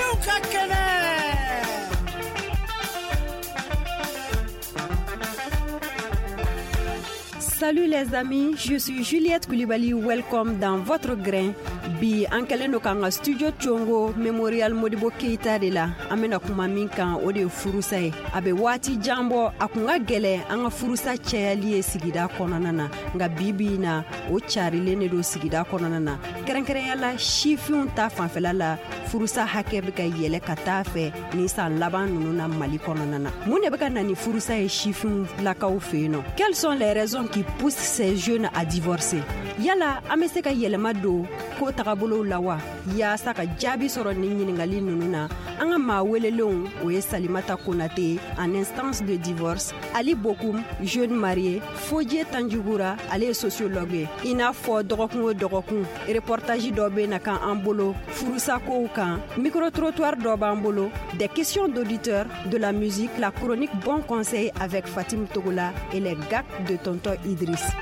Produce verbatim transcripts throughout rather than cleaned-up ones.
Malidenw ka kɛnɛ. Salut les amis, je suis Juliette Coulibaly, welcome dans votre grain. Bi an kɛlen don k'an ka studio Congo Memorial Modibo Keita de la. An bɛna kuma min kan, o de ye furusa ye. A bɛ waati jan bɔ, a kun ka gɛlɛn an ka furusa cayali ye sigida kɔnɔna na. Nka bi bi in na, o carilen de don sigida kɔnɔna na. Kɛrɛnkɛrɛnya la, sifinw ta fanfɛla la, furusa hakɛ bɛ ka yɛlɛ ka taa fɛ nin san laban ninnu na Mali kɔnɔna na. Mun de bɛ ka na ni furusa ye sifinw lakaw fɛ yen nɔ? Quelles sont les raisons qui poussent ces jeunes à divorcer? Yala an bɛ se ka yɛlɛma don ko tagabolow la wa? Yaasa ka jaabi sɔrɔ nin ɲininkali ninnu na, an ka maa welelenw, o ye Salimata Konate en instance de divorce, Ali Bokum, jeune marié, Fodie Tanjugura, ale ye sociologue ye. I n'a fɔ dɔgɔkun o dɔgɔkun, reportage dɔ bɛ na kan an bolo furusakow kan, micro-trottoir dɔ b'an bolo, des questions d'auditeurs, de la musique, la chronique Bon Conseil avec Fatim Togola et les gags de Tonton Idriss.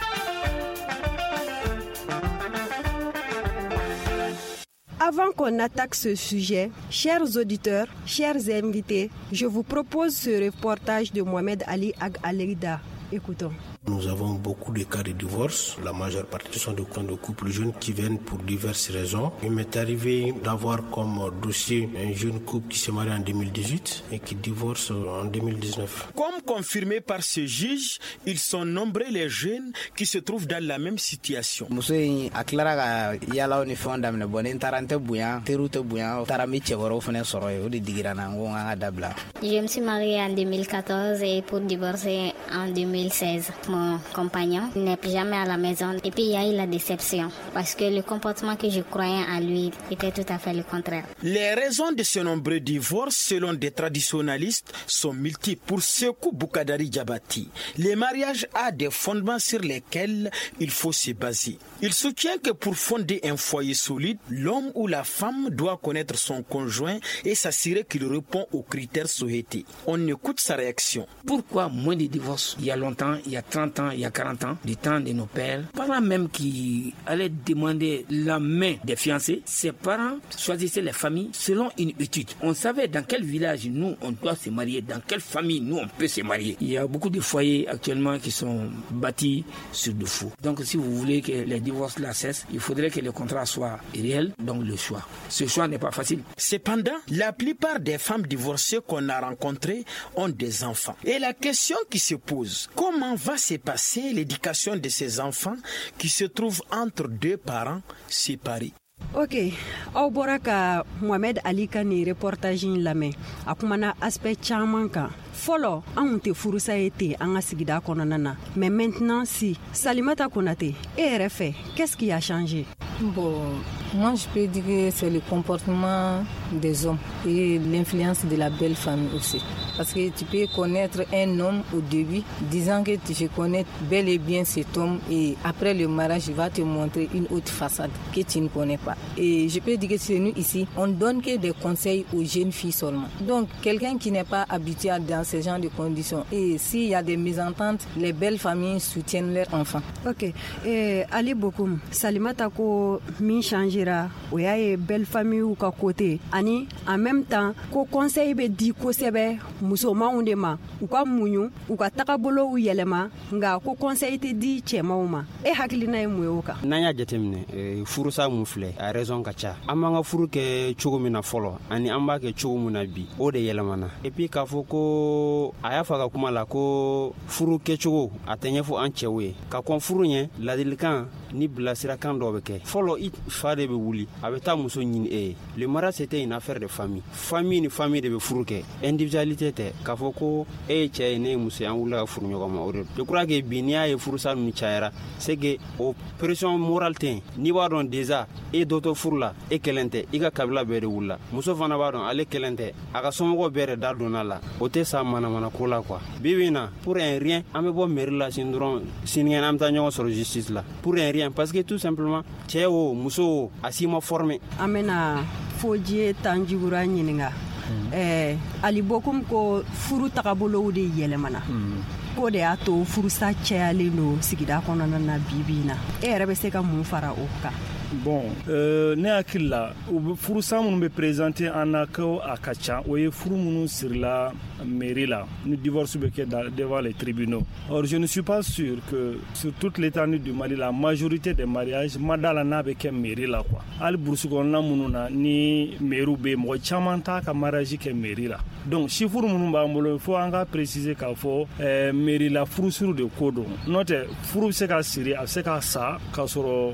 Avant qu'on attaque ce sujet, chers auditeurs, chers invités, je vous propose ce reportage de Mohamed Ali Ag Alida. Écoutons. Nous avons beaucoup de cas de divorce. La majeure partie sont des cas de couples jeunes qui viennent pour diverses raisons. Il m'est arrivé d'avoir comme dossier un jeune couple qui s'est marié en deux mille dix-huit et qui divorce en deux mille dix-neuf. Comme confirmé par ce juge, ils sont nombreux les jeunes qui se trouvent dans la même situation. Muso in a tilara ka yalaw ni fɛnw daminɛ, bon ni n taara n tɛ bonya, teriw tɛ bonya, taara n bɛ cɛ wɛrɛw fana sɔrɔ yen, o de digira n na, n ko n ka dabila. Je me suis mariée en deux mille quatorze et pour divorcer en deux mille seize. Mon compagnon n'est plus jamais à la maison. Et puis il y a eu la déception parce que le comportement que je croyais en lui était tout à fait le contraire. Les raisons de ce nombreux divorces, selon des traditionnalistes, sont multiples. Pour Sekou Boukadari Diabati, le mariage a des fondements sur lesquels il faut se baser. Il soutient que pour fonder un foyer solide, l'homme ou la femme doit connaître son conjoint et s'assurer qu'il répond aux critères souhaités. On écoute sa réaction. Pourquoi moins de divorces? Il y a longtemps, il y a trente ans, il y a quarante ans, du temps de nos pères, parents même qui allaient demander la main des fiancés, ses parents choisissaient les familles selon une étude. On savait dans quel village nous on doit se marier, dans quelle famille nous on peut se marier. Il y a beaucoup de foyers actuellement qui sont bâtis sur de faux. Donc si vous voulez que les divorces là cessent, il faudrait que le contrat soit réel, donc le choix. Ce choix n'est pas facile. Cependant, la plupart des femmes divorcées qu'on a rencontrées ont des enfants. Et la question qui se pose, comment va se passer l'éducation de ces enfants qui se trouvent entre deux parents séparés? Ok, aw bɔra ka Mohamed Ali ka nin reportage in lamɛn. A kumana aspect caman kan. Fɔlɔ, anw tɛ furusa ye ten an ka sigida kɔnɔna na. Mais maintenant si, Salimata Konate, e yɛrɛ fɛ, qu'est-ce qui a changé? Bon, moi je peux dire que c'est le comportement des hommes et l'influence de la belle famille aussi. Parce que tu peux connaître un homme au début, disant que je connais bel et bien cet homme, et après le mariage, il va te montrer une autre façade que tu ne connais pas. Et je peux dire que chez nous ici, on donne que des conseils aux jeunes filles seulement. Donc quelqu'un qui n'est pas habitué dans ce genre de conditions, et s'il y a des mésententes, les belles familles soutiennent leurs enfants. Ok. Et Ali Bokum, Salimata ko min changera, o y'a ye belle famille ka côté, ani en même temps ko conseil bɛ di kosɛbɛ musomanw de ma, u ka muɲu, u ka tagabolow yɛlɛma, nka ko conseil tɛ di cɛmanw ma. E hakilina ye mun ye o kan? N'an y'a jateminɛ, furusa mun filɛ, a raison ka ca. An b'an ka furu kɛ cogo min na fɔlɔ, ani an b'a kɛ cogo min na bi, o de yɛlɛmana. Et puis k'a fɔ ko a y'a fɔ a ka kuma la ko furu kɛcogo a tɛ ɲɛfɔ an cɛw ye. Ka kɔn furu ɲɛ, ladilikan ni bilasirakan dɔ bɛ kɛ. Fɔlɔ, i fa de bɛ wuli, a bɛ taa muso ɲini e ye. Le mariage, c'était une affaire de famille. Famille ni famille de bɛ furu kɛ. Individualité tɛ. K'a fɔ ko e ye cɛ ye, ne ye muso ye, an wulila ka furu ɲɔgɔn ma, o de don. Je crois que bi n'i y'a ye furusa ninnu cayara, c'est que o pression morale tɛ yen. N'i b'a dɔn déjà e dɔ to furu la, e kelen tɛ, i ka kabila bɛɛ de wulila. Muso fana b'a dɔn ale kelen tɛ, a ka somɔgɔw bɛɛ de da donna la. O tɛ sa manamana ko la quoi. Bi bi in na, pour un rien, an bɛ bɔ mairie la sini dɔrɔn, sinikɛnɛ an bɛ taa ɲɔgɔn sɔrɔ justice la. Pour un rien, parce que tout simplement cɛ o muso o, a si ma formé. An bɛna Fodie Tanjugura ɲininka. Eh, Ali Bokum ko furu tagabolow de yɛlɛmana. K'o de y'a to furusa cayalen don sigida kɔnɔna na bi bi in na. E yɛrɛ bɛ se ka mun fara o kan? Bon, euh, ne hakili la, u bɛ furusa minnu bɛ présenter an na ko a ka ca, o ye furu minnu sirila mairie la, ni divorce bɛ kɛ devant les tribunaux. Or je ne suis pas sûr que sur toute l'étendue du Mali, la majorité des mariages ma da la n'a bɛ kɛ mairie la quoi. Hali brousse kɔnɔna minnu na ni mairie bɛ yen, mɔgɔ caman t'a ka mariage kɛ mairie la. Donc chiffre minnu b'an bolo, il faut an ka préciser k'a fɔ ɛɛ mairie la furusiri de ko don. N'o tɛ, furu bɛ se ka siri, a bɛ se ka sa k'a sɔrɔ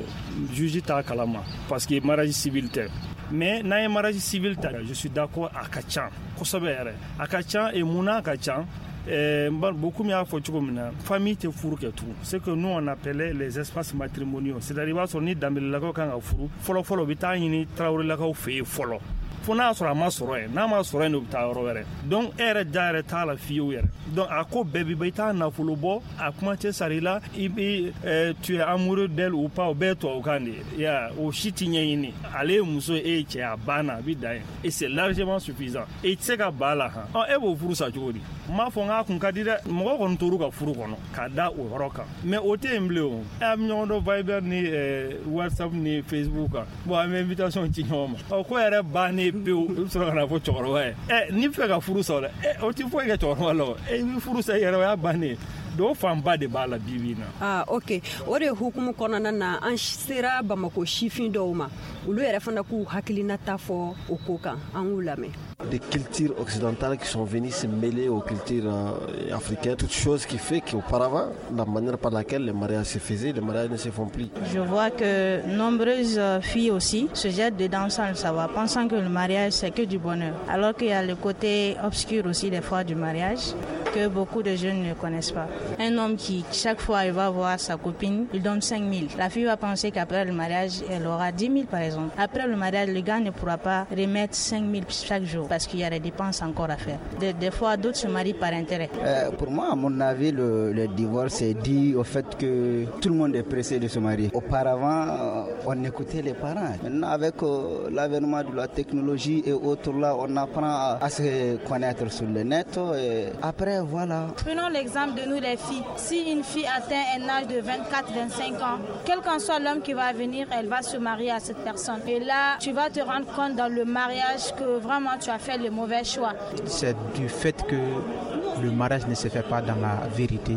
juge t'a kalama, parce que mariage civil tɛ. Mais n'an ye mariage civil ta, je suis d'accord, a ka ca kosɛbɛ yɛrɛ, a ka ca. Et mun n'a ka ca? Euh, beaucoup y'a fɔ cogo min na, famille tɛ furu kɛ tugun, c'est que nous on appelait les espaces matrimoniaux, c'est-à-dire i b'a sɔrɔ ni Danbelelakaw kan ka furu, fɔlɔ fɔlɔ u bɛ taa ɲini Tarawelelakaw fɛ yen fɔlɔ, fo n'a y'a sɔrɔ a ma sɔrɔ yen, n'a ma sɔrɔ yen, u bɛ taa yɔrɔ wɛrɛ. Donc e yɛrɛ da yɛrɛ t'a la fiyewu yɛrɛ. Donc a ko bɛɛ bi ban, i t'a nafolo bɔ, a kuma tɛ sara i la, i bi tu es amoureux d'elle ou pas, o bɛɛ ye tubabukan de ye ya, o si ti ɲɛɲini. Ale ye muso ye, e ye cɛ, a banna, a bi dan yen, et c'est largement suffisant, et i tɛ se ka ba la han. Ɔ, e b'o furu sa cogo di? N m'a fɔ n k'a kun ka di dɛ, mɔgɔ kɔni tor'u ka furu kɔnɔ ka da o yɔrɔ kan, mais o tɛ yen bilen. O e, a bɛ ɲɔgɔn dɔn Viber ni WhatsApp ni Facebook kan. Bon, an bɛ invitation ci ɲɔgɔn ma, ɔ, ko yɛrɛ bannen pewu, i bɛ sɔrɔ ka na fɔ cɛkɔrɔba ye, ɛ, n'i bɛ fɛ ka furu sa dɛ, ɛ, o ti foyi kɛ cɛkɔrɔba la o, i bɛ furu sa i yɛrɛ, o y'a bannen. Donc fanba de b'a la bi bi in na. Ah ok, o de hukumu kɔnɔna na, an sera Bamako sifin dɔw ma, olu yɛrɛ fana k'u hakilinata fɔ o ko kan, an k'u lamɛn. Des cultures occidentales qui sont venues se mêler aux cultures euh, africaines, toute chose qui fait qu'auparavant, la manière par laquelle les mariages se faisaient, les mariages ne se font plus. Je vois que nombreuses filles aussi se jettent dedans sans le savoir, pensant que le mariage c'est que du bonheur, alors qu'il y a le côté obscur aussi des fois du mariage que beaucoup de jeunes ne connaissent pas. Un homme qui, chaque fois, il va voir sa copine, il donne cinq mille. La fille va penser qu'après le mariage, elle aura dix mille par exemple. Après le mariage, le gars ne pourra pas remettre cinq mille chaque jour parce qu'il y a des dépenses encore à faire. Des, des fois, d'autres se marient par intérêt. Euh, pour moi, à mon avis, le, le divorce est dû au fait que tout le monde est pressé de se marier. Auparavant, on écoutait les parents. Maintenant, avec euh, l'avènement de la technologie et autres là, on apprend à, à se connaître sur le net. Et après, voilà. Prenons l'exemple de nous les filles. Si une fille atteint un âge de vingt-quatre vingt-cinq ans, quel qu'en soit l'homme qui va venir, elle va se marier à cette personne. Et là, tu vas te rendre compte dans le mariage que vraiment tu as fait le mauvais choix. C'est du fait que le mariage ne se fait pas dans la vérité,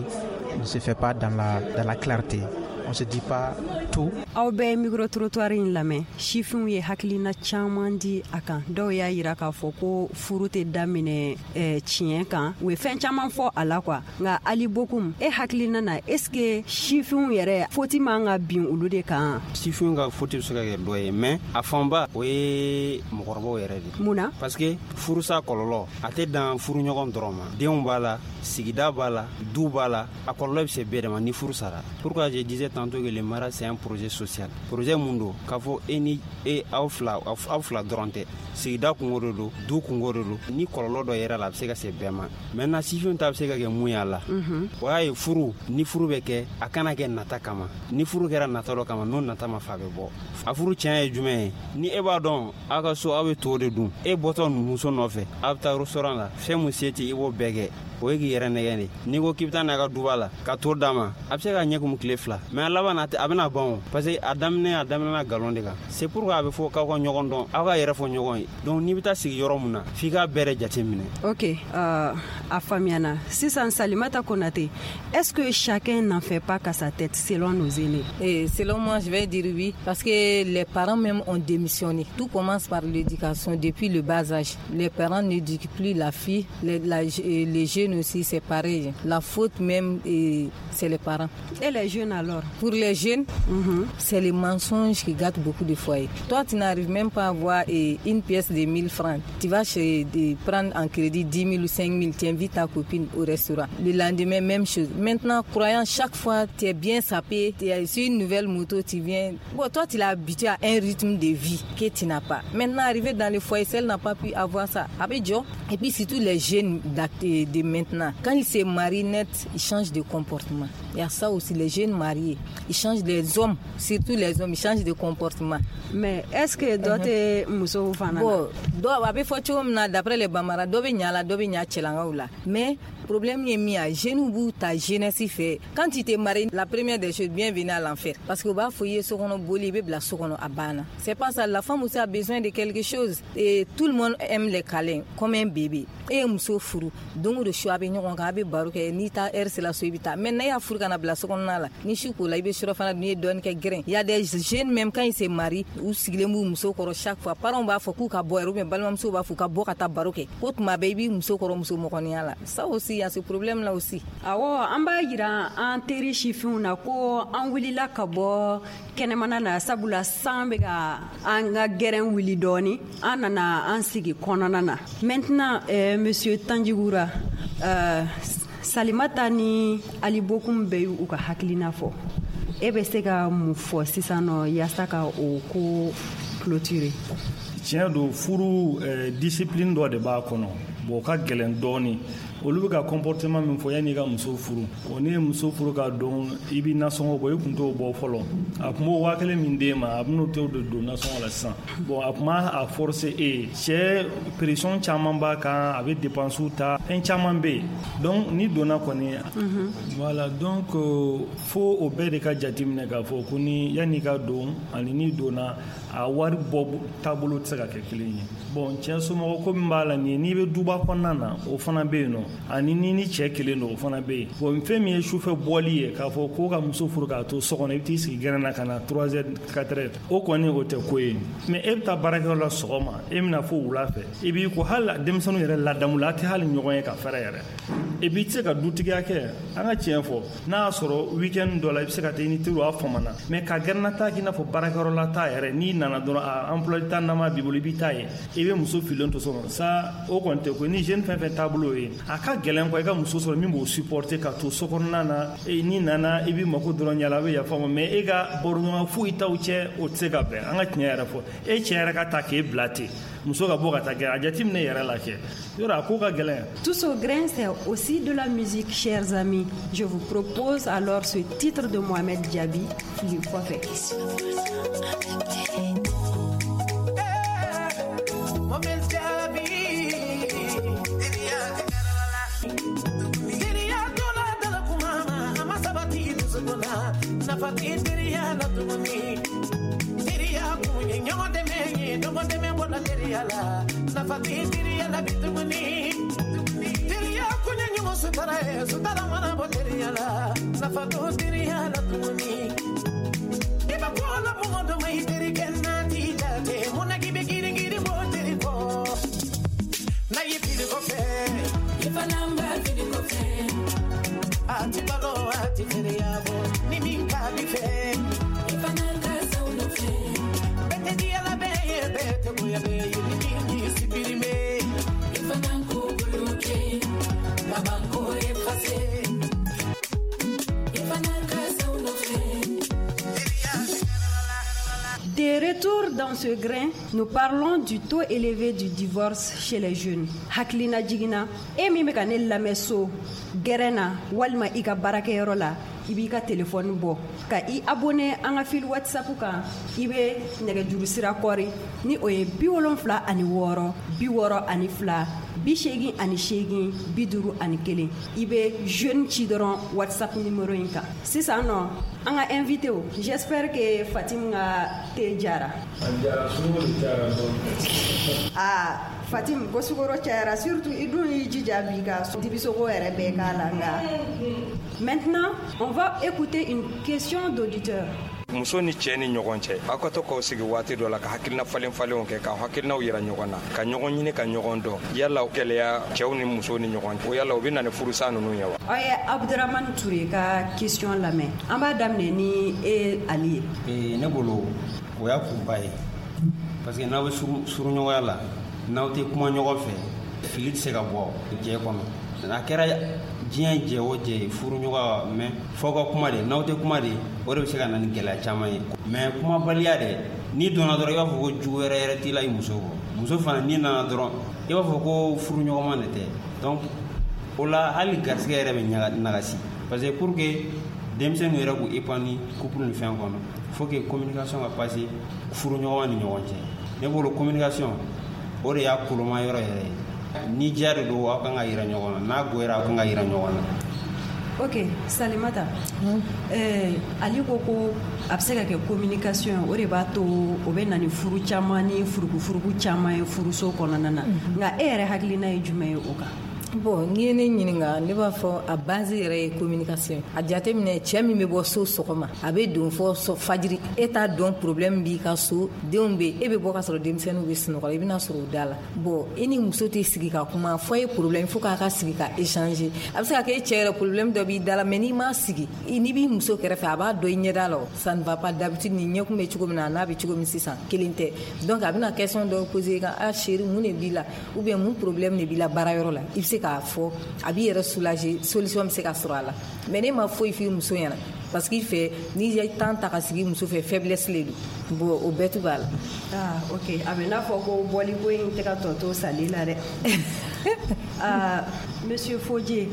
ne se fait pas dans la, dans la clarté. On se dit pas tout. Aw bɛɛ micro trottoir in lamɛn, sifinw ye hakilina caman di a kan. Dɔw y'a yira k'a fɔ ko furu tɛ daminɛ eh, tiɲɛ kan, u ye fɛn caman fɔ a la quoi. Nka Ali Bokum, e hakilina na, est ce que sifinw yɛrɛ faute man ka bin olu de kan? Sifinw ka faute bɛ se ka kɛ dɔ ye, mais a fanba o ye mɔgɔkɔrɔbaw yɛrɛ de. Mun na? Parce que furusa kɔlɔlɔ a tɛ dan furuɲɔgɔn dɔrɔn ma, denw b'a la, sigida b'a la, du b'a la, a kɔlɔlɔ bɛ se bɛɛ de ma ni furu sara. Pourquoi je disais tantôt que le mariage c'est un projet social? Projet mun don k'a fɔ e ni e aw fila, aw fila dɔrɔn tɛ, sigida kungo de don, du kungo de don. Ni kɔlɔlɔ dɔ yɛrɛ la, a bɛ se ka se bɛɛ ma. Maintenant, sifinw ta bɛ se ka kɛ mun ye a la? O y'a ye, furu ni furu bɛ kɛ, a kana kɛ nata kama. Ni furu kɛra nata dɔ kama, n'o nata ma fa, a bɛ bɔ. A furu tiɲɛ ye jumɛn ye? Ni e b'a dɔn aw ka so, aw bɛ to de dun, e bɔtɔ muso nɔfɛ, aw bɛ taa restaurant la, fɛn mun se tɛ, i b'o bɛɛ kɛ, o ye k'i yɛrɛ nɛgɛn de. N'i ko k'i bɛ taa n'a ka duba la ka to d'a ma, a bɛ se ka ɲɛ kumu tile fila, mais a laban a bɛna ban o, parce que a daminɛ a daminɛna nkalon de kan. C'est pourquoi a bɛ fɔ k'aw ka ɲɔgɔn dɔn, aw ka yɛrɛ fɔ ɲɔgɔn ye. Donc n'i bɛ taa sigi yɔrɔ mun na, f'i k'a bɛɛ de jate minɛ. Ok, uh, a faamuyana. Sisan Salimata Konate, est-ce que chacun n'en fait pas qu'à sa tête selon nos aînés? Et selon moi, je vais dire oui, parce que les parents même ont démissionné. Tout commence par l'éducation depuis le bas âge. Les parents n'éduquent plus la fille, les, la, les jeunes aussi, c'est pareil. La faute même, c'est les parents. Et les jeunes alors? Pour les jeunes, mm-hmm. c'est les mensonges qui gâtent beaucoup de foyers. Toi, tu n'arrives même pas à avoir une pièce de mille francs. Tu vas chez, de prendre en crédit dix mille ou cinq mille, tu invites ta copine au restaurant. Le lendemain, même chose. Maintenant, croyant chaque fois, tu es bien sapé, tu es sur une nouvelle moto, tu viens. Bon, toi, tu l'as habitué à un rythme de vie que tu n'as pas. Maintenant, arrivé dans le foyer, elle n'a pas pu avoir ça. Avec Joe. Et puis surtout les jeunes de maintenant. maintenant, quand ils se marient net, ils changent de comportement. Il y a ça aussi, les jeunes mariés, ils changent, les hommes, surtout les hommes, ils changent de comportement. Mais est-ce que dɔ tɛ musow fana na? Bon, dɔw a bɛ fɔ cogo min na, d'après les Bambara, dɔ bɛ ɲa la, dɔ bɛ ɲa cɛlankaw la. Mais problème ye min ye, jeunes b'u ta jeunesse fɛ. Quand tu te maries, la première des choses, bienvenue à l'enfer. Parce que u b'a fɔ i ye so kɔnɔ boli, i bɛ bila so kɔnɔ, a banna. C'est pas ça, la femme aussi a besoin de quelque chose. Et tout le monde aime les câlins, comme un bébé. E ye muso furu, don o don su a bɛ ɲɔgɔn kan, a bɛ baro kɛ, n'i ta heure sera so i bɛ taa. Mais n'a y'a furu ka na bila so kɔnɔna la, ni su ko la, i bɛ surafana dun, n'i ye dɔɔnin kɛ gɛrɛn. Il y a des jeunes même quand ils se marient, u sigilen b'u muso kɔrɔ chaque fois. Parents b'a fɔ k'u ka bɔ yɛrɛ, ou bien balimamusow b'a fɔ u ka bɔ ka taa baro kɛ. Ko tuma bɛɛ i b'i muso kɔrɔ muso mɔgɔninya la. Ça aussi, il y a ce problème là aussi. Awɔ, an b'a yira an teri sifinw na ko an wulila ka bɔ kɛnɛmana na, sabula san bɛ ka an ka gɛrɛn wuli dɔɔni, an nana an sigi kɔnɔna na. Maintenant, euh, monsieur Tanjigura, euh, Salimata ni Ali Bokum bɛɛ y'u ka hakilina fɔ. E bɛ se ka mun fɔ sisan nɔ yaasa ka o ko clôturer? Tiɲɛ don, furu eh, discipline dɔ de b'a kɔnɔ. Bon, o ka gɛlɛn dɔɔni. Olu bɛ ka comportement min fɔ yanni i ka muso furu, o n'i ye muso furu ka don, i b'i nasɔngɔ bɔ, i kun t'o bɔ fɔlɔ. A kun b'o waa kelen min d'e ma, a bɛn'o t'o de don nasɔngɔ la sisan. Bon, a kun b'a a forcer e ye. Cɛ pression caman b'a kan, a bɛ dépenses ta, fɛn caman bɛ yen. Donc n'i donna kɔni, voilà, donc fo o bɛɛ de ka jateminɛ k'a fɔ ko ni yanni i ka don ani n'i donna, a wari bɔ taabolo tɛ se ka kɛ kelen ye. Bon, cɛ somɔgɔ ko min b'a la nin ye, n'i bɛ duba kɔnɔna na, o fana bɛ yen nɔ, ani ni ni cɛ kelen don, o fana bɛ yen. Bon, fɛn min ye sufɛ bɔli ye, k'a fɔ ko ka muso furu k'a to so kɔnɔ, i bɛ t'i sigi gɛrɛn na ka na trois heures quatre heures, o kɔni o tɛ ko ye. Mais e bɛ taa baarakɛyɔrɔ la sɔgɔma, e bɛna fo wula fɛ, i b'i ko hali denmisɛnninw yɛrɛ ladamu la, a tɛ hali ɲɔgɔn ye ka fɛrɛ yɛrɛ. Et puis i tɛ se ka dutigiya kɛ. An ka tiɲɛ fɔ, n'a y'a sɔrɔ week-end dɔ la, i bɛ se ka taa i ni teriw, a famana. Mais ka gɛrɛnna ta k'i n'a fɔ baarakɛyɔrɔ la ta yɛrɛ, n'i nana dɔrɔn, a emploi du temps nama b'i bolo, i b'i ta ye, i bɛ muso filen to so kɔnɔ, ça o kɔni tɛ ko. Ni jeune fɛn fɛn taabolo ye, a ka gɛlɛn quoi, i ka muso sɔrɔ min b'o supporter ka to so kɔnɔna na. N'i nana, i b'i mako dɔrɔn ɲɛ la, a bɛ yafa ma, mais e ka baroɲɔgɔn foyi t'aw cɛ, o tɛ se ka bɛn. An ka tiɲɛ yɛrɛ fɔ, e cɛ yɛrɛ ka ta k'e bila ten, muso ka bɔ ka taa gɛrɛ, a jateminɛ yɛrɛ la kɛ, yɔrɔ a ko ka gɛlɛn. Tous au grain, c'est aussi de la musique, chers amis. Je vous propose alors ce titre de Mohamed Diaby, Fili Kɔfɛ. Mohamed Diaby, teriya tola dala kuma ma, a ma sabati dusukun na, nafa tɛ teriya la tuguni. Teriya kun ye ɲɔgɔn dɛmɛ ye, ɲɔgɔn dɛmɛ bɔra teriya la, nafa tɛ teriya la bi tuguni. Teriya kun ye ɲɔgɔn sutara ye, sutara mana bɔ teriya la, nafa t'o teriya la tuguni. I bɛ ko la mɔgɔ dɔ ma, i terikɛ n'a t'i jate, mun na k'i bɛ girin girin bɔ teri kɔ? N'a y'i fili kɔfɛ, i fana b'a fili kɔfɛ. A ti balo, a ti feere bɔ, ni min ka di fɛ, i fana ka sa o nɔfɛ. Bɛɛ tɛ diya la bɛɛ ye, bɛɛ tɛ goya bɛɛ ye, ni min y'i supprimer, i fana k'o bloquer, laban k'o effacer. I fana ka sa o nɔfɛ. De retour dans ce grain, nous parlons du taux élevé du divorce chez les jeunes. Hakilina jiginna, e min bɛ ka ne lamɛn so, gɛrɛn na walima i ka baarakɛyɔrɔ la, i b'i ka téléphone bɔ ka i abonné an ka fil WhatsApp kan, i bɛ nɛgɛjuru sira kɔri ni o ye bi wolonfila ani wɔɔrɔ, bi wɔɔrɔ ani fila, bi seegin ani seegin, bi duuru ani kelen. I bɛ jeune ci dɔrɔn WhatsApp numéro in kan. Sisan nɔ, an ka invité o, j'espère que Fatim ka te jara. A jara, sukaro de cayara dɔɔni. Aa Fatim, ko sukaro cayara, surtout i dun y'i jija bi ka dibisogo yɛrɛ bɛɛ k'a la nka. Maintenant, on va écouter une question d'auditeur. Muso ni cɛ ni ɲɔgɔn cɛ, aw ka to k'aw sigi waati dɔ la ka hakilina falen falenw kɛ, ka hakilinaw yira ɲɔgɔn na, ka ɲɔgɔn ɲini, ka ɲɔgɔn dɔn. Yala gɛlɛya cɛw ni musow ni ɲɔgɔn cɛ, o yala o bɛ na ni furusa ninnu ye wa? Aw ye Abdurahmane Touré ka question lamɛn. An b'a daminɛ ni e Ali ye. Ee, ne bolo o y'a kunba ye, parce que n'aw bɛ suruɲɔgɔnya la, n'aw tɛ kuma ɲɔgɔn fɛ, fili tɛ se ka bɔ jɛ kɔnɔ. A kɛra diɲɛ jɛ o jɛ ye, furuɲɔgɔn, mais f'aw ka kuma de. N'aw tɛ kuma de, o de bɛ se ka na ni gɛlɛya caman ye. Mais kumabaliya dɛ, n'i donna dɔrɔn i b'a fɔ ko jugu wɛrɛ yɛrɛ t'i la i muso kɔ. Muso fana n'i nana dɔrɔn i b'a fɔ ko furuɲɔgɔnma de tɛ. Donc O la hali garisɛgɛ yɛrɛ bɛ nagasi, parce que pour que denmisɛnninw yɛrɛ k'u épanouir couple ni fɛn kɔnɔ, faut que communication ka passer furuɲɔgɔn ni ɲɔgɔn cɛ. Ne bolo communication o de y'a koloma yɔrɔ yɛrɛ ye. Ni diya de don, aw kan ka yira ɲɔgɔn na, n'a goyara, aw kan ka yira ɲɔgɔn na. Ok, Salimata, mm. eh, Ali ko ko a bɛ se ka kɛ communication o de b'a to o bɛ na ni furu caman ni furukufuruku caman ye furuso kɔnɔna na. Nka e yɛrɛ hakilina ye jumɛn ye o kan? Bon, n'i ye ne ɲininka, ne b'a fɔ a base yɛrɛ ye communication. A jateminɛ, cɛ min bɛ bɔ so sɔgɔma, a bɛ don fɔ fajiri, e t'a dɔn problème b'i ka so, denw bɛ, e bɛ bɔ ka sɔrɔ denmisɛnninw bɛ sunɔgɔ la, i bɛna sɔrɔ u da la. Bon, e ni muso tɛ sigi ka kuma fɔ ye problème, fo k'a ka sigi ka échanger. A bɛ se ka kɛ e cɛ yɛrɛ problème dɔ b'i da la, mais n'i m'a sigi, n'i b'i muso kɛrɛfɛ, a b'a dɔn i ɲɛda la. Ça ne va pas d'habitude, ni ɲɛkun bɛ cogo min na, a n'a bɛ cogo min sisan, kelen tɛ. Donc a bɛna question dɔw poser kan, ah chérie, mun de b'i la, ou bien mun problème de b'i la baarayɔrɔ la, i bɛ se k'a fɔ, a b'i yɛrɛ soulager, solution bɛ se ka sɔrɔ a la. Mais ne ma foyi f'i muso ɲɛna, parce que fɛ n'i ye temps ta ka sigi muso fɛ, faiblesse le don. Bon, o bɛɛ tu b'a la. Ah ok, a bɛ n'a fɔ ko bɔliko in tɛ ka tɔ to sali la dɛ. Ah, monsieur Fodje,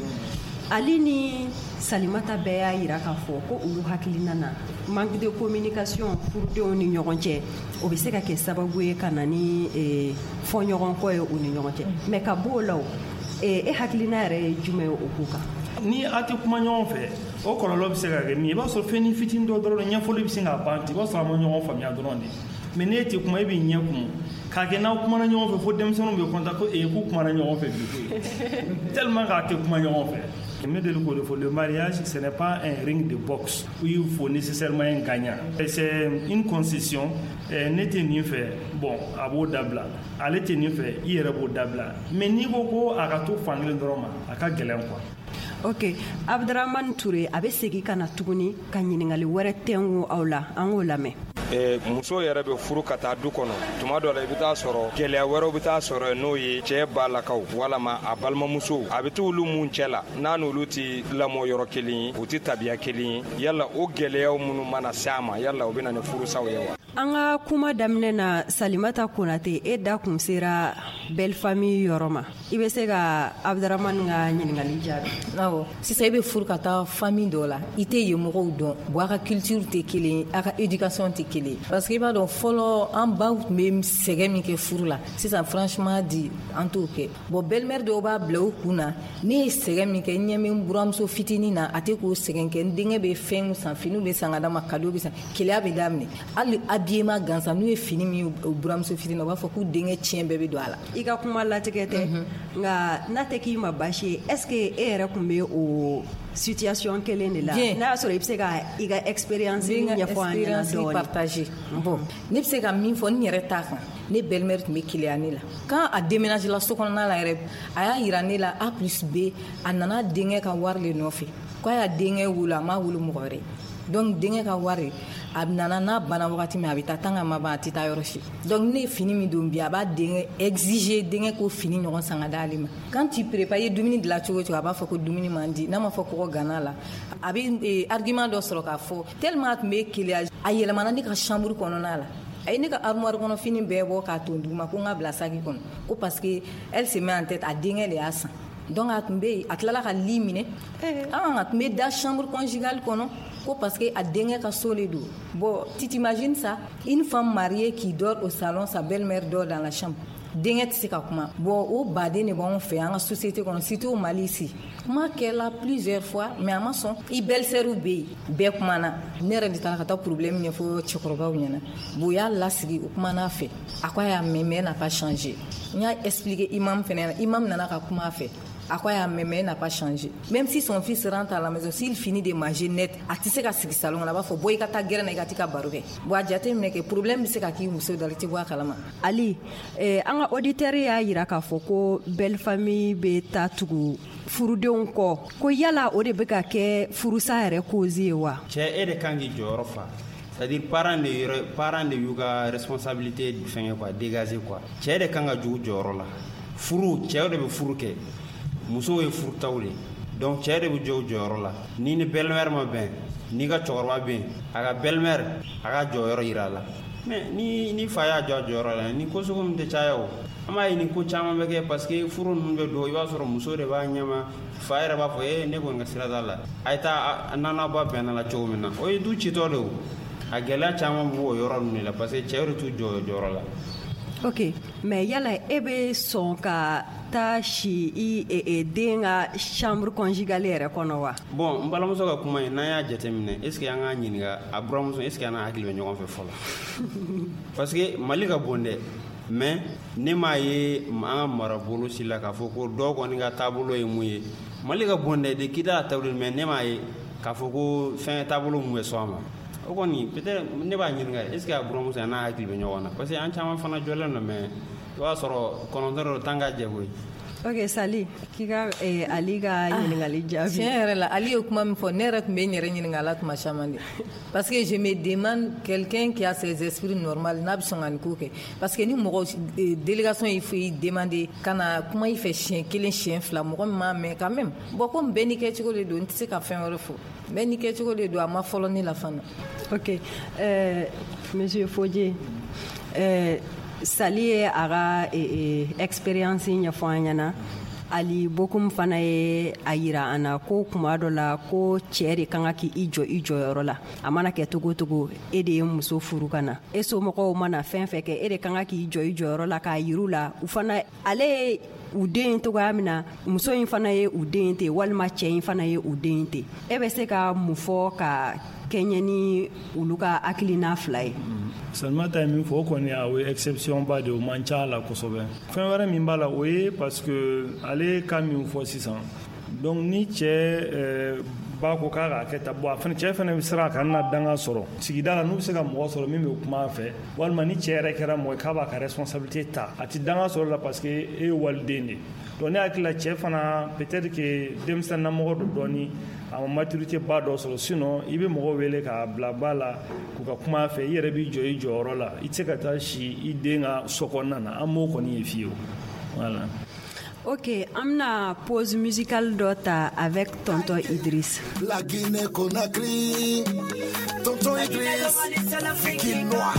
Ali ni Salimata bɛɛ y'a yira k'a fɔ ko olu hakilina na, manque de communication furudenw ni ɲɔgɔn cɛ, o bɛ se ka kɛ sababu ye ka na ni fɔɲɔgɔnkɔ ye u ni ɲɔgɔn cɛ. Mais ka b'o la, o e hakilina yɛrɛ ye jumɛn ye o ko kan? Ni a tɛ kuma ɲɔgɔn fɛ, o kɔlɔlɔ bɛ se ka kɛ min ye, i b'a sɔrɔ fɛn fitinin dɔ dɔrɔn ɲɛfɔli bɛ se k'a ban ten, i b'a sɔrɔ a ma ɲɔgɔn faamuya dɔrɔn de. Mais n'e tɛ kuma, e b'i ɲɛ kumu k'a kɛ n'aw kumana ɲɔgɔn fɛ, fo denmisɛnninw bɛ content ko ee k'u kumana ɲɔgɔn fɛ bi koyi, tellement k'a tɛ kuma ɲɔgɔn fɛ. Ne deli k'o de fɔ, le mariage, ce n'est pas un ring de boxe où il faut nécessairement un gagnant. C'est une concession. Ne tɛ nin fɛ, bon, a b'o dabila, ale tɛ nin fɛ, i yɛrɛ b'o dabila. Mais n'i ko ko a ka to fan kelen dɔrɔn ma, a ka gɛlɛn quoi. Ok, Abdramane Touré, a bɛ segin ka na tuguni ka ɲininkali wɛrɛ tɛngu aw la, an k'o lamɛn. Muso yɛrɛ bɛ furu ka taa du kɔnɔ, tuma dɔ la i bɛ taa sɔrɔ gɛlɛya wɛrɛw bɛ taa sɔrɔ, n'o ye cɛ balakaw walama a balimamusow, a bɛ t'olu mun cɛ la, n'a n'olu tɛ lamɔ yɔrɔ kelen ye, u tɛ tabiya kelen ye, yala o gɛlɛyaw minnu mana se a ma, yala o bɛ na ni furusaw ye wa? An ka kuma daminɛ na, Salimata Konate, e da kun sera belle famille yɔrɔ ma, i bɛ se ka Abdramane ka ɲininkali jaabi? Awɔ, sisan e bɛ furu ka taa famille dɔ la, i tɛ yen mɔgɔw dɔn, bon, a ka culture tɛ kelen ye, a ka éducation tɛ kelen ye, parce que i b'a dɔn fɔlɔ an baw tun bɛ sɛgɛn min kɛ furu la, sisan franchement dit an t'o kɛ. Bon, belle-mère dɔw b'a bila u kun na, ne ye sɛgɛn min kɛ, n ɲɛ bɛ n buramuso fitinin na, a tɛ k'o sɛgɛn kɛ, n denkɛ bɛ fɛn san, finiw bɛ san ka d'a ma, cadeau bɛ san, keleya bɛ daminɛ. Hali habillement gansan, n'u ye fini min buramuso fitinin na, u b'a fɔ k'u denkɛ tiɲɛ bɛɛ bɛ don a la. I ka kuma latigɛ tɛ, nka n'a tɛ k'i ma baasi ye, est-ce que e yɛrɛ tun bɛ o situation kelen de la? N'a y'a sɔrɔ i bɛ se ka i ka expérience ɲɛfɔ an ɲɛna dɔɔnin. Partager. Bon, ne bɛ se ka min fɔ n yɛrɛ ta kan, ne belle-mère tun bɛ keleya ne la. Quand a déménagé la so kɔnɔna la yɛrɛ, a y'a yira ne la A plus B, a nana denkɛ ka wari le nɔfɛ, k'a y'a denkɛ wolo, a m'a wolo mɔgɔ wɛrɛ. Donc denkɛ ka wari, a nana n'a banna wagati min, a bɛ taa tant que ma ban, a tɛ taa yɔrɔ si. Donc ne ye fini min don bi, a b'a denkɛ exiger, denkɛ k'o fini ɲɔgɔn san ka d'ale ma. Quand tu prépares, i ye dumuni dilan cogo o cogo, a b'a fɔ ko dumuni man di, n'a ma fɔ kɔgɔ ganna la, a bɛ argument dɔ sɔrɔ k'a fɔ, tellement a tun bɛ keleya, a yɛlɛmana ne ka chambre kɔnɔna la. A ye ne ka armoire kɔnɔ fini bɛɛ bɔ k'a ton duguma, ko n ka bila saki kɔnɔ, ko parce que elle se met en tête, a denkɛ de y'a san. Donc a tun bɛ yen, a tilala ka lit minɛ, ah, a tun bɛ da chambre conjugale kɔnɔ, ko parce que a denkɛ ka so le don. Bon, tu t'imagines ça, une femme mariée qui dort au salon, sa belle-mère dort dans la chambre. Denkɛ tɛ se ka kuma. Bon, o baden de b'anw fɛ an ka société kɔnɔ, surtout au Mali ici. Kuma kɛla plusieurs fois, mais a ma sɔn. I belle-sœur bɛ yen, bɛɛ kumana. Ne yɛrɛ de taara ka taa problème ɲɛfɔ cɛkɔrɔbaw ɲɛna. Bon, u y'a lasigi, u kumana a fɛ. A ko a y'a mɛn, mais n'a pas changé. N y'a expliqué imam fɛnɛ, imam nana ka kuma a fɛ. A ko a y'a mɛn, mais n'a pas changé. Même si son fils rentre à la maison, s'il finit de manger net, a tɛ se ka sigi salon kɔnɔ, a b'a fɔ bɔ i ka taa gɛrɛn na, i ka t'i ka baro kɛ. Bon, a jateminɛ kɛ problème bɛ se ka k'i muso da la, i tɛ bɔ a kalama. Ali, eh, an ka auditeur y'a yira k'a fɔ ko belle famille bɛ taa tugu furudenw kɔ, ko yala o de bɛ ka kɛ furusa yɛrɛ cause ye wa? Cɛ, e de kan k'i jɔyɔrɔ fa. C'est-à-dire parents de yɔrɔ, parents de y'u ka responsabilité fɛngɛ quoi, dégager quoi. Cɛ de kan ka jɔ u jɔyɔrɔ la. Furu, cɛw de bɛ furu kɛ. Musow ye furutaw de. Donc cɛ de bɛ jɔ u jɔyɔrɔ la. Ni ni belle-mère ma bɛn, n'i ka cɛkɔrɔba bɛ yen, a ka belle-mère a ka jɔyɔrɔ yira a la. Mais ni ni fa y'a jɔ a jɔyɔrɔ la, ni ko sugu ninnu tɛ caya o. An b'a ye ni ko caman bɛ kɛ parce que furu ninnu bɛ don, i b'a sɔrɔ muso de b'a ɲɛma, fa yɛrɛ b'a fɔ ee ne kɔni ka sira t'a la, a ye taa n'an ba bɛnna la cogo min na, o ye du citɔ de o. A gɛlɛya caman b'o yɔrɔ ninnu de la parce que cɛw de t'u jɔ jɔyɔrɔ la. Ok, mais yala e bɛ sɔn ka taa si i e, e, den ka chambre conjugale yɛrɛ kɔnɔ wa? Bon, n balimamuso ka kuma in, n'an y'a jateminɛ, est ce que an k'a ɲininka a buramuso, est ce que an n'a hakili bɛ ɲɔgɔn fɛ fɔlɔ? Parce que Mali ka bon dɛ, mais ne m'a ye an ka marabolo si la k'a fɔ ko dɔw kɔni ka taabolo ye mun ye. Mali ka bon dɛ, de kida a taabolo, mais ne m'a ye k'a fɔ ko fɛn taabolo mun bɛ sɔn a ma. O kɔni peut-être ne b'a ɲininka, est ce que a buramuso a n'a hakili bɛ ɲɔgɔn na? Parce que an caman fana jɔlen don, mais i b'a sɔrɔ kɔnɔntɔn dɔ tan ka jɛ koyi. Ok, Sali, k'i ka eh, Ali ka ɲininkali jaabi. Tiɲɛ yɛrɛ la, Ali ye kuma min fɔ, ne yɛrɛ tun bɛ n yɛrɛ ɲininka a la tuma caman de, parce que je me demande, quelqu'un qui a ses esprits normal n'a bɛ sɔn ka nin ko kɛ? Parce que ni mɔgɔ délégation y'i fɔ i demander ka na kuma i fɛ siɲɛ kelen, siɲɛ fila, mɔgɔ min m'a mɛn quand même. Bon, komi bɛɛ n'i kɛcogo de don, n tɛ se ka fɛn wɛrɛ fɔ, bɛɛ n'i kɛcogo de don, a ma fɔlɔ ne la fana. Ok, euh, monsieur Fodje, euh, Sali ye a ka eh, eh, expérience ɲɛfɔ an ɲɛna. Ali Bokum fana ye a yira an na ko kuma dɔ la ko cɛɛ de kan ka k'i jɔ i jɔyɔrɔ la. A mana kɛ togo togo, e de ye muso furu ka na, e somɔgɔw mana fɛn fɛn kɛ, e de kan ka k'i jɔ i jɔyɔrɔ la k'a yiru la. U fana, ale ye u den togoya min na, muso in fana ye u den ten, walima cɛ in fana ye u den ten. E bɛ se ka mun fɔ ka kɛɲɛ ni olu ka hakilina fila ye? Salimata ye min fɔ, o kɔni a o ye exception ba de ye, o man ca la kosɛbɛ. Fɛn wɛrɛ min b'a la, o ye parce que ale ka min fɔ sisan, donc ni cɛ ba ko k'a k'a kɛ tan, bon, a fana cɛ fana bɛ siran a kana na danga sɔrɔ sigida la. N'u bɛ se ka mɔgɔ sɔrɔ min bɛ kuma a fɛ, walima ni cɛ yɛrɛ kɛra mɔgɔ ye k'a b'a ka responsabilité ta, a ti danga sɔrɔ la parce que e ye waliden de ye. Donc ne hakili la, cɛ fana peut-être que denmisɛnninnamɔgɔ don dɔɔni, a ma maturité ba dɔ sɔrɔ. Sinon i bɛ mɔgɔw wele k'a bila ba la k'u ka kuma a fɛ, i yɛrɛ b'i jɔ i jɔyɔrɔ la, i tɛ se ka taa si i den ka so kɔnɔna na. An m'o kɔni ye fiyewu, voilà. Ok, an bɛna pause musicale dɔ ta avec Tonton Idriss. La Guinée Conakry, Tonton Idriss, Kinois,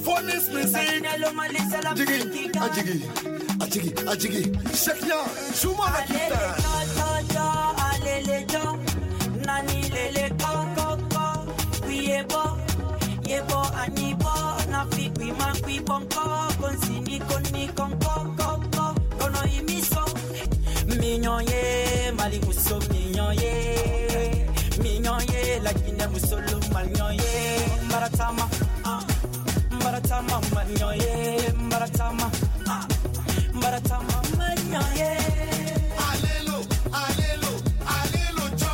Phoenix Music, Jiggy, Ajigi, Ajigi, Ajigi, Cheikh Niang, joue-moi la guitare. Nani lele ko ko ko, yebo yebo anibo na fi kwi ma kwi bonko konsini koni konko ko ko kono imiso mignon ye Mali muso mignon ye mignon ye la Guinée muso lo mignon ye maratama ah maratama mignon ye maratama ah maratama mignon ye. Alelo alelo alelo jo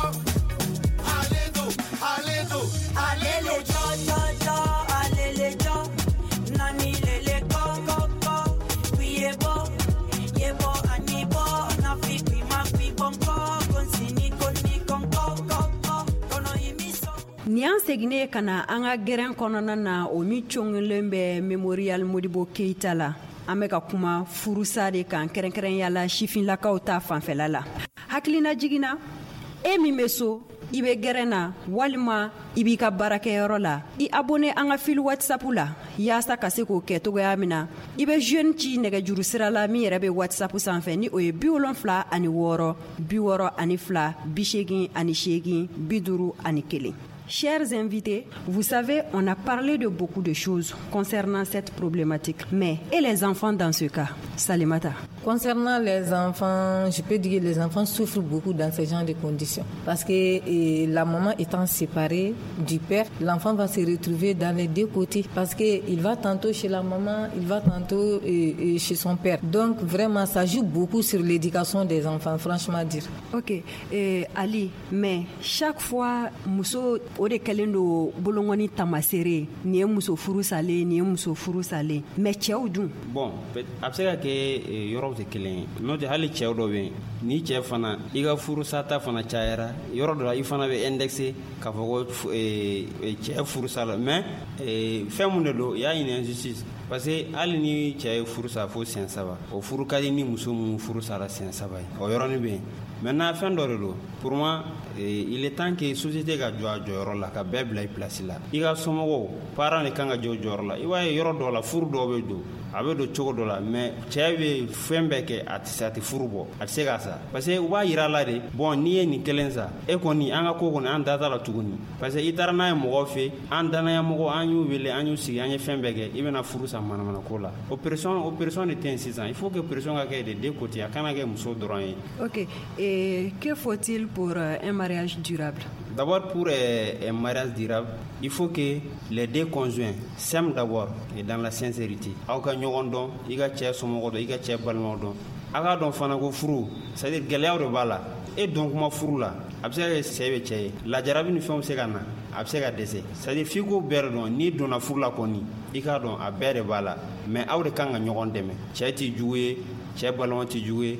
alelo alelo alelo jo jo jo alele jo nani lele ko ko ko yebo yebo anibo na fi kwi ma kwi bonko konsini koni konko ko ko kono imiso. Ni an seginnen ka na an ka gɛrɛn kɔnɔna na, o min coŋelen bɛ Memorial Modibo Keita la, an bɛ ka kuma furusa de kan, kɛrɛnkɛrɛnya la sifinlakaw ta fanfɛla la. Hakilina jiginna, e min bɛ so, i bɛ gɛrɛn na walima i b'i ka baarakɛyɔrɔ la, i abonné an ka fil WhatsApp la yaasa ka se k'o kɛ togoya min na. I bɛ jeune ci nɛgɛjuru sira la min yɛrɛ bɛ WhatsApp sanfɛ, ni o ye bi wolonfila ani wɔɔrɔ bi wɔɔrɔ ani fila bi seegin ani seegin bi duuru ani kelen. Chers invités, vous savez, on a parlé de beaucoup de choses concernant cette problématique. Mais, et les enfants dans ce cas? Salimata. Concernant les enfants, je peux dire que les enfants souffrent beaucoup dans ce genre de conditions. Parce que et, la maman étant séparée du père, l'enfant va se retrouver dans les deux côtés. Parce qu'il va tantôt chez la maman, il va tantôt et, et chez son père. Donc vraiment, ça joue beaucoup sur l'éducation des enfants, franchement dire. Ok, et, Ali, mais chaque fois, muso o de kɛlen don bolongɔni tamasere, nin ye muso furu salen, nin ye muso furu salen, mais cɛw dun? Bon, a bɛ se ka kɛ yɔrɔw tɛ kelen ye, n'o tɛ hali cɛw dɔ bɛ yen, ni cɛ fana i ka furusata fana cayara yɔrɔ dɔ la, i fana bɛ indexé k'a fɔ ko cɛ furusa la. Mais fɛn mun de don, y a une injustice, parce que hali ni cɛ ye furu sa fo siɲɛ saba, o furu ka di ni muso mun furu sara siɲɛ saba ye, o yɔrɔnin bɛ yen. Maintenant fɛn dɔ de don, pour moi il est temps que société ka jɔ a jɔyɔrɔ la, ka bɛɛ bila i place la. I ka somɔgɔw, parents de kan ka jɔ jɔyɔrɔ la. I b'a ye yɔrɔ dɔw la, furu dɔw bɛ don, a bɛ don cogo dɔ la, mais cɛ bɛ fɛn bɛɛ kɛ, a tɛ se, a tɛ furu bɔ, a tɛ se k'a sa, parce que u b'a yira la de, bon n'i ye nin kelen sa, e kɔni an ka ko kɔni an da t'a la tuguni, parce que i taara n'a ye mɔgɔw fɛ, an danaya mɔgɔ, an y'u wele, an y'u sigi, an ye fɛn bɛɛ kɛ, i bɛna furu sa manamana ko la. O pression, o pression de tɛ yen sisan. Il faut que pression ka kɛ de deux côtés, a kana kɛ muso dɔrɔn ye. Ok, et que faut-il pour un mariage durable? D'abord, pour un mariage durable, il faut que les deux conjoints s'aiment d'abord et dans la sincérité. Aw ka ɲɔgɔn dɔn, i ka cɛ somɔgɔw dɔn, i ka cɛ balimaw dɔn. A k'a dɔn fana ko furu, c'est à dire gɛlɛyaw de b'a la. E dɔn kuma furu la, a bɛ se ka kɛ sɛ bɛ cɛ ye, lajarabi ni fɛnw bɛ se ka na, a bɛ se ka dɛsɛ. C'est à dire f'i k'o bɛɛ de dɔn. N'i donna furu la kɔni, i k'a dɔn a bɛɛ de b'a la. Mais aw de kan ka ɲɔgɔn dɛmɛ. Cɛ t'i jugu ye, cɛ balima t'i jugu ye,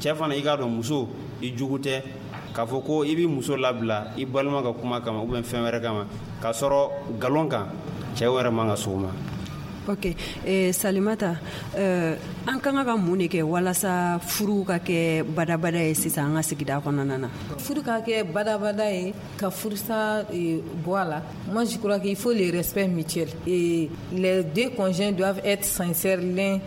cɛ fana i k'a dɔn muso i jugu tɛ. K'a fɔ ko i b'i muso labila i balima ka kuma kama ou bien fɛn wɛrɛ kama, k'a sɔrɔ nkalon kan, cɛ wɛrɛ man ka s'o ma. Ok, eh, Salimata, euh, an kan ka mun de kɛ walasa furu ka kɛ badabada ye sisan an ka sigida kɔnɔna na? Furu ka kɛ badabada ye, ka furusa bɔ a la, moi je crois qu'il faut le respect mutuel et les deux conjoints doivent être sincères l'un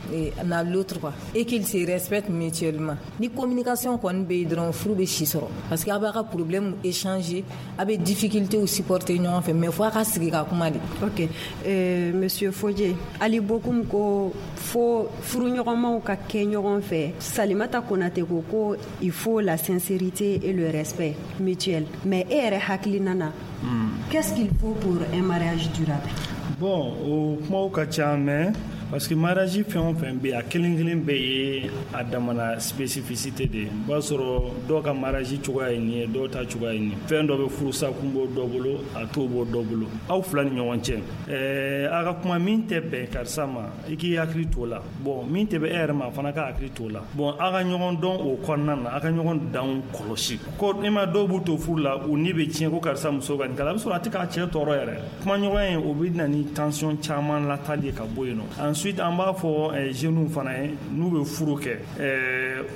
à l'autre quoi, et qu'ils se respectent mutuellement. Ni communication kɔni bɛ yen dɔrɔn, furu bɛ si sɔrɔ, parce que a b'a ka problème échanger, a bɛ difficulté supporter ɲɔgɔn fɛ, mais fo a ka sigi ka kuma de. Ok, euh, monsieur Fodje, Ali Bokum ko fo furuɲɔgɔnmaw ka kɛ ɲɔgɔn fɛ. Salimata Konate ko ko il faut la sincérité et le respect mutuel. Mais e yɛrɛ hakilina na, qu'est-ce qu'il faut pour un mariage durable? Bon, o kumaw ka ca, mais parce que mariage fɛn o fɛn bɛ yen, a kelen kelen bɛɛ ye a damana spécificité de ye. O b'a sɔrɔ dɔw ka mariage cogoya ye nin ye, dɔw ta cogoya ye nin ye. Fɛn dɔ bɛ furusa kun bɔ dɔ bolo, a t'o bɔ dɔ bolo. Aw fila ni ɲɔgɔn cɛ, ɛɛ a ka kuma min tɛ bɛn karisa ma, i k'i hakili t'o la. Bon, min tɛ bɛn e yɛrɛ ma, a fana ka hakili t'o la. Bon, aw ka ɲɔgɔn dɔn o kɔnɔna na, aw ka ɲɔgɔn danw kɔlɔsi. Ko ne ma dɔw b'u to furu la, u ni bɛ tiɲɛ ko karisa muso ka nin kɛ, a bɛ sɔrɔ a tɛ k'a cɛ tɔɔrɔ yɛrɛ. Kumaɲɔgɔnya in, o bɛ na ni tension caman latali ye ka bɔ yen nɔ. Ensuite, an b'a fɔ jeunes fana ye, n'u bɛ furu kɛ,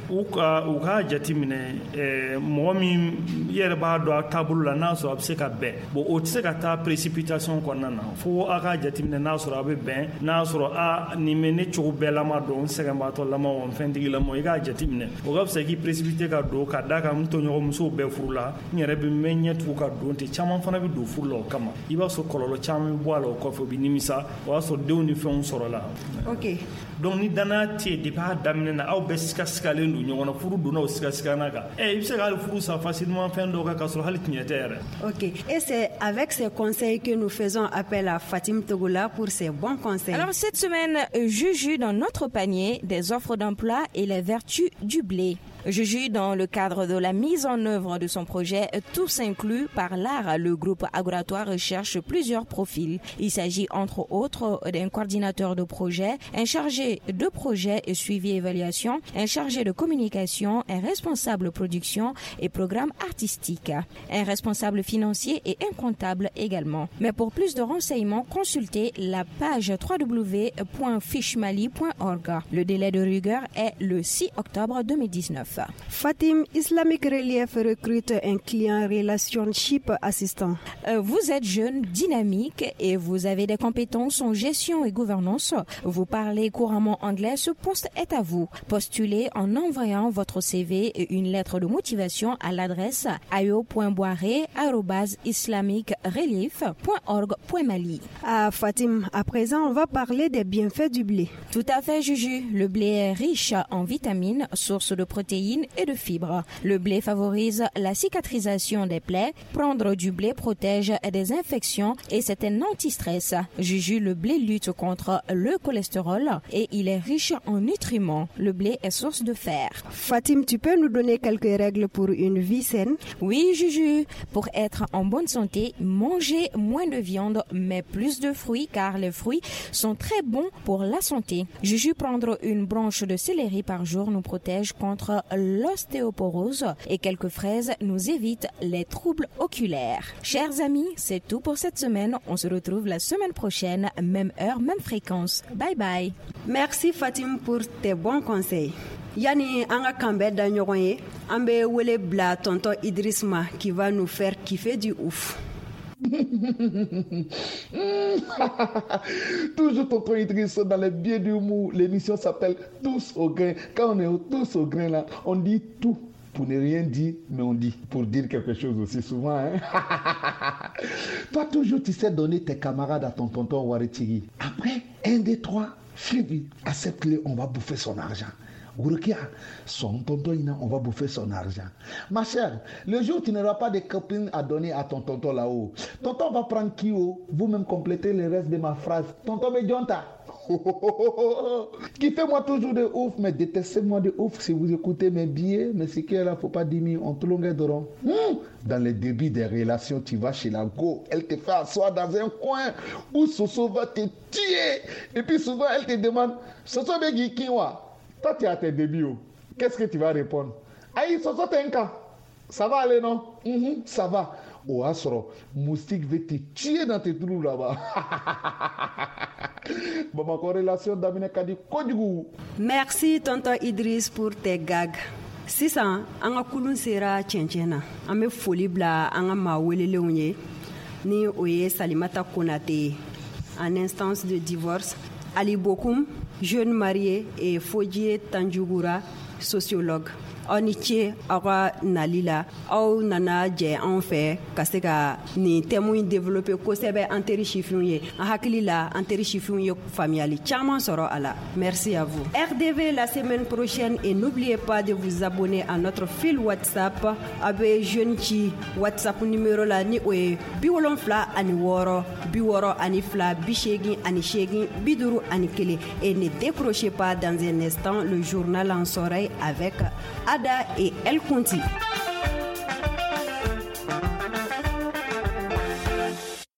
u ka u k'a jateminɛ mɔgɔ min i yɛrɛ b'a dɔn a taabolo la, n'a sɔrɔ a bɛ se ka bɛn. Bon, o tɛ se ka taa précipitation kɔnɔna na, fo a k'a jateminɛ n'a sɔrɔ a bɛ bɛn, n'a sɔrɔ a nin bɛ ne cogo bɛɛ lama dɔn, n sɛgɛnbaatɔ lama o n fɛntigilama, i k'a jateminɛ. O ka fisa k'i précipité ka don, ka d'a kan n tɔɲɔgɔnmusow bɛɛ furu la, n yɛrɛ bɛ n bɛ ɲɛ tugu ka don ten. Caman fana bɛ don furu la o kama. I b'a sɔrɔ kɔlɔlɔ caman bɛ bɔ a la o kɔfɛ, u bɛ nimisa, o y'a sɔrɔ denw ni fɛnw sɔrɔ la. Ok. Donc ni danaya tɛ yen depuis a daminɛ na, aw bɛɛ sigasigalen don ɲɔgɔn na, furu donna o sigasigana kan. Eh, i bɛ se ka hali furu sa facilement fɛn dɔw kan k'a sɔrɔ hali tiɲɛ tɛ yɛrɛ. Ok, et c'est avec ces conseils que nous faisons appel à Fatim Togola pour ses bons conseils. Alors cette semaine, Juju dans notre panier des offres d'emploi et les vertus du blé. Juju, dans le cadre de la mise en œuvre de son projet Tous inclus par l'art, le groupe Agoratoire recherche plusieurs profils. Il s'agit entre autres d'un coordinateur de projet, un chargé de projet et suivi évaluation, un chargé de communication, un responsable production et programme artistique, un responsable financier et un comptable également. Mais pour plus de renseignements, consultez la page w w w point fichemali point org. Le délai de rigueur est le six octobre deux mille dix-neuf. Fatim, Islamic Relief recrute un client relationship assistant. Euh, vous êtes jeune, dynamique et vous avez des compétences en gestion et gouvernance. Vous parlez couramment anglais, ce poste est à vous. Postulez en envoyant votre C V et une lettre de motivation à l'adresse ayo point boiré arobase islamic relief point org point mali. Ah Fatim, à présent on va parler des bienfaits du blé. Tout à fait Juju, le blé est riche en vitamines, source de protéines et de fibres. Le blé favorise la cicatrisation des plaies. Prendre du blé protège des infections et c'est un anti-stress. Juju, le blé lutte contre le cholestérol et il est riche en nutriments. Le blé est source de fer. Fatim, tu peux nous donner quelques règles pour une vie saine? Oui, Juju. Pour être en bonne santé, mangez moins de viande mais plus de fruits car les fruits sont très bons pour la santé. Juju, prendre une branche de céleri par jour nous protège contre l'ostéoporose et quelques fraises nous évitent les troubles oculaires. Chers amis, c'est tout pour cette semaine. On se retrouve la semaine prochaine, même heure, même fréquence. Bye bye. Merci Fatim pour tes bons conseils. Yani an ka kanbɛn da ɲɔgɔn ye, an bɛ wele bila tonton Idriss ma qui va nous faire kiffer du ouf. Toujours tonton Idriss dans les biais d'humour. L'émission s'appelle Tous au grain. Quand on est tous au grain là, on dit tout pour ne rien dire, mais on dit pour dire quelque chose aussi souvent. Hein? Toi toujours tu sais donner tes camarades à ton tonton Waritigi. Après, un, deux, trois, Philippe, accepte-le, on va bouffer son argent. Gouroukia, son tonton, on va bouffer son argent. Ma chère, le jour où tu n'auras pas de copines à donner à ton tonton là-haut, tonton va prendre qui haut, vous-même complétez le reste de ma phrase. Tonton Medjonta. Kiffez-moi toujours de ouf, mais détestez-moi de ouf si vous écoutez mes billets. Mais ce qui est là, faut pas diminuer, on te longue de rond. Dans les débuts des relations, tu vas chez la go, elle te fait asseoir dans un coin où Soso va te tuer. Et puis souvent, elle te demande, Soso Begi Kinwa. Toi, tu es à tes débuts. Qu'est-ce que tu vas répondre? Aïe, Soso t'es un cas. Ça va aller, non? Mm-hmm, ça va. Oh, Asro, moustique veut te tuer dans tes trous là-bas. Bon, ma corrélation d'Amine Kadi Kodjougou. Merci, tonton Idriss, pour tes gags. Sisan, an ka kulun sera cɛncɛn na. An bɛ foli bila an ka maa welelenw ye. Ni o ye Salimata Konate ye, en instance de divorce. Ali Bokoum, jeune marié, et Fodie Tanjugura, sociologue. Aw ni ce aw ka nali la, aw nana jɛ anw fɛ ka se ka nin thème in développer kosɛbɛ an teri sifinw ye. An hakili la an teri sifinw ye faamuyali caman sɔrɔ a la. Merci à vous. R D V la semaine prochaine et n'oubliez pas de vous abonner à notre fil WhatsApp. A bɛ jeune ci WhatsApp numéro la ni o ye bi wolonfila ani wɔɔrɔ bi wɔɔrɔ ani fila bi seegin ani seegin bi duuru ani kelen. Et ne décrochez pas, dans un instant le journal en soleil avec Ada et El Conti.